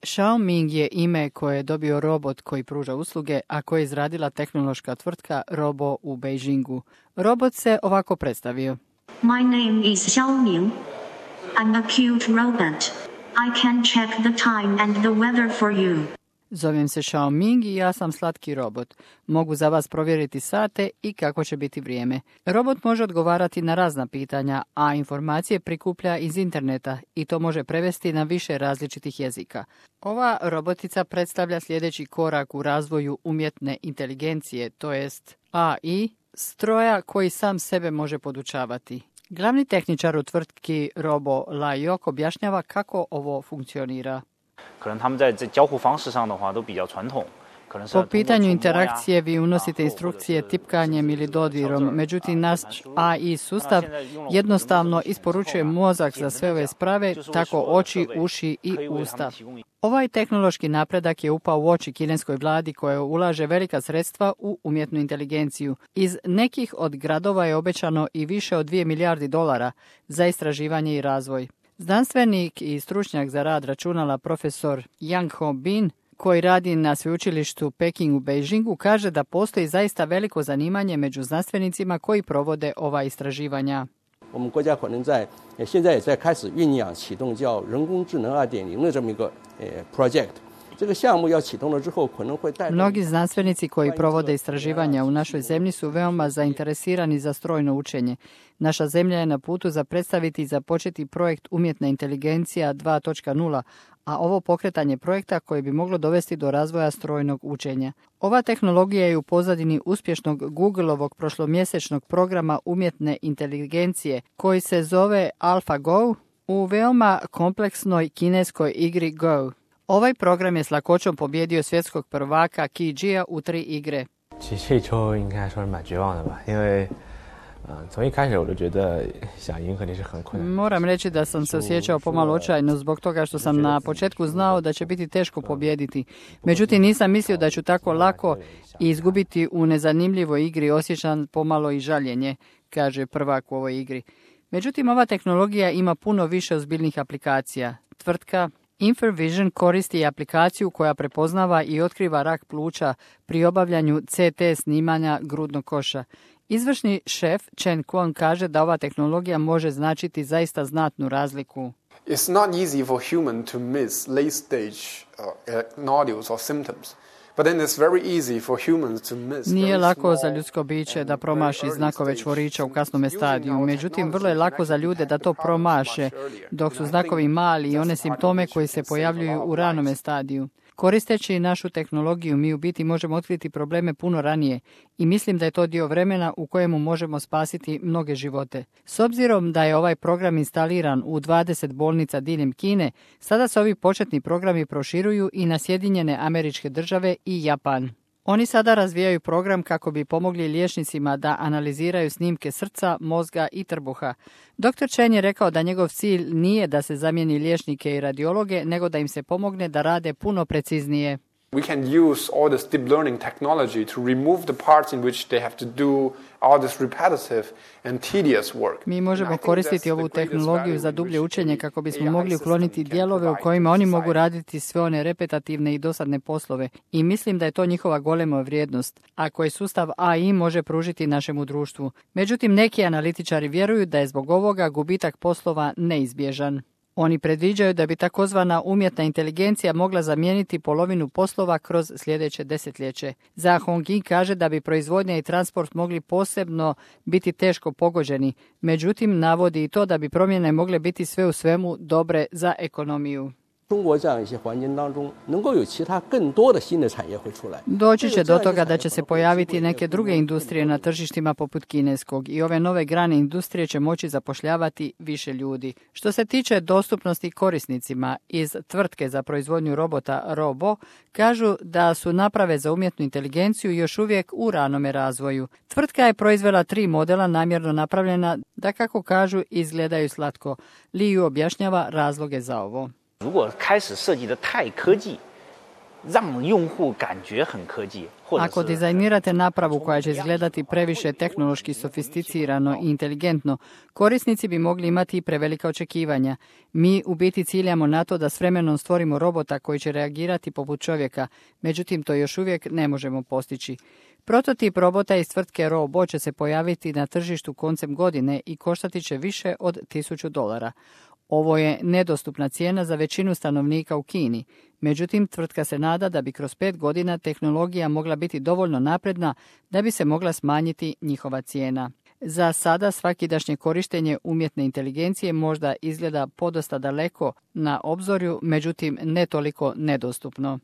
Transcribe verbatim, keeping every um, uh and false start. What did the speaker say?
Xiaoming je ime koje je dobio robot koji pruža usluge, a koje je izradila tehnološka tvrtka Robo u Beijingu. Robot se ovako predstavio. My name is Xiaoming. I'm a cute robot. I can check the time and the weather for you. Zovem se Xiaoming i ja sam slatki robot. Mogu za vas provjeriti sate i kako će biti vrijeme. Robot može odgovarati na razna pitanja, a informacije prikuplja iz interneta i to može prevesti na više različitih jezika. Ova robotica predstavlja sljedeći korak u razvoju umjetne inteligencije, to jest A I, stroja koji sam sebe može podučavati. Glavni tehničar u tvrtki Robo Laiok objašnjava kako ovo funkcionira. Po pitanju interakcije vi unosite instrukcije tipkanjem ili dodirom, međutim naš A I sustav jednostavno isporučuje mozak za sve ove sprave, tako oči, uši i usta. Ovaj tehnološki napredak je upao u oči kineskoj vladi koja ulaže velika sredstva u umjetnu inteligenciju. Iz nekih od gradova je obećano i više od dvije milijardi dolara za istraživanje i razvoj. Znanstvenik i stručnjak za rad računala profesor Yang Ho Bin, koji radi na sveučilištu Peking u Beijingu, kaže da postoji zaista veliko zanimanje među znanstvenicima koji provode ova istraživanja. Mnogi znanstvenici koji provode istraživanja u našoj zemlji su veoma zainteresirani za strojno učenje. Naša zemlja je na putu za predstaviti i započeti projekt Umjetna inteligencija dva točka nula, a ovo pokretanje projekta koji bi moglo dovesti do razvoja strojnog učenja. Ova tehnologija je u pozadini uspješnog Googleovog prošlomjesečnog programa umjetne inteligencije koji se zove AlphaGo u veoma kompleksnoj kineskoj igri Go. Ovaj program je s lakoćom pobjedio svjetskog prvaka Qi Jia u tri igre. Moram reći da sam se osjećao pomalo očajno zbog toga što sam na početku znao da će biti teško pobijediti. Međutim, nisam mislio da ću tako lako izgubiti u nezanimljivoj igri, osjećam pomalo i žaljenje, kaže prvak u ovoj igri. Međutim, ova tehnologija ima puno više ozbiljnih aplikacija. Tvrtka Infervision koristi aplikaciju koja prepoznava i otkriva rak pluća pri obavljanju C T snimanja grudnog koša. Izvršni šef Chen Kwon kaže da ova tehnologija može značiti zaista znatnu razliku. It's not easy for human to miss late stage uh, nodules or symptoms. But then it's very easy for humans to miss. Nije lako za ljudsko biće da promaši znakove čvorića u kasnome stadiju, međutim vrlo je lako za ljude da to promaše dok su znakovi mali i one simptome koji se pojavljuju u ranome stadiju. Koristeći našu tehnologiju mi u biti možemo otkriti probleme puno ranije i mislim da je to dio vremena u kojemu možemo spasiti mnoge živote. S obzirom da je ovaj program instaliran u dvadeset bolnica diljem Kine, sada se ovi početni programi proširuju i na Sjedinjene Američke Države i Japan. Oni sada razvijaju program kako bi pomogli liječnicima da analiziraju snimke srca, mozga i trbuha. doktor Chen je rekao da njegov cilj nije da se zamijeni liječnike i radiologe, nego da im se pomogne da rade puno preciznije. We can use all this deep learning technology to remove the parts in which they have to do all this repetitive and tedious work. Mi možemo koristiti ovu tehnologiju za dublje učenje kako bismo mogli ukloniti dijelove u kojima oni mogu raditi sve one repetativne i dosadne poslove i mislim da je to njihova golema vrijednost, a koji sustav A I može pružiti našemu društvu. Međutim, neki analitičari vjeruju da je zbog ovoga gubitak poslova neizbježan. Oni predviđaju da bi takozvana umjetna inteligencija mogla zamijeniti polovinu poslova kroz sljedeće desetljeće. Za Hongyi kaže da bi proizvodnja i transport mogli posebno biti teško pogođeni, međutim navodi i to da bi promjene mogle biti sve u svemu dobre za ekonomiju. Doći će do toga da će se pojaviti neke druge industrije na tržištima poput kineskog i ove nove grane industrije će moći zapošljavati više ljudi. Što se tiče dostupnosti korisnicima, iz tvrtke za proizvodnju robota Robo kažu da su naprave za umjetnu inteligenciju još uvijek u ranome razvoju. Tvrtka je proizvela tri modela namjerno napravljena da, kako kažu, izgledaju slatko. Liu objašnjava razloge za ovo. 让用户感觉很科技，或者 Ako dizajnirate napravu koja će izgledati previše tehnološki sofisticirano i inteligentno, korisnici bi mogli imati i prevelika očekivanja. Mi u biti ciljamo na to da s vremenom stvorimo robota koji će reagirati poput čovjeka, međutim to još uvijek ne možemo postići. Prototip robota iz tvrtke Robo će se pojaviti na tržištu koncem godine i koštati će više od tisuću dolara. Ovo je nedostupna cijena za većinu stanovnika u Kini. Međutim, tvrtka se nada da bi kroz pet godina tehnologija mogla biti dovoljno napredna da bi se mogla smanjiti njihova cijena. Za sada svakidašnje korištenje umjetne inteligencije možda izgleda podosta daleko na obzorju, međutim ne toliko nedostupno.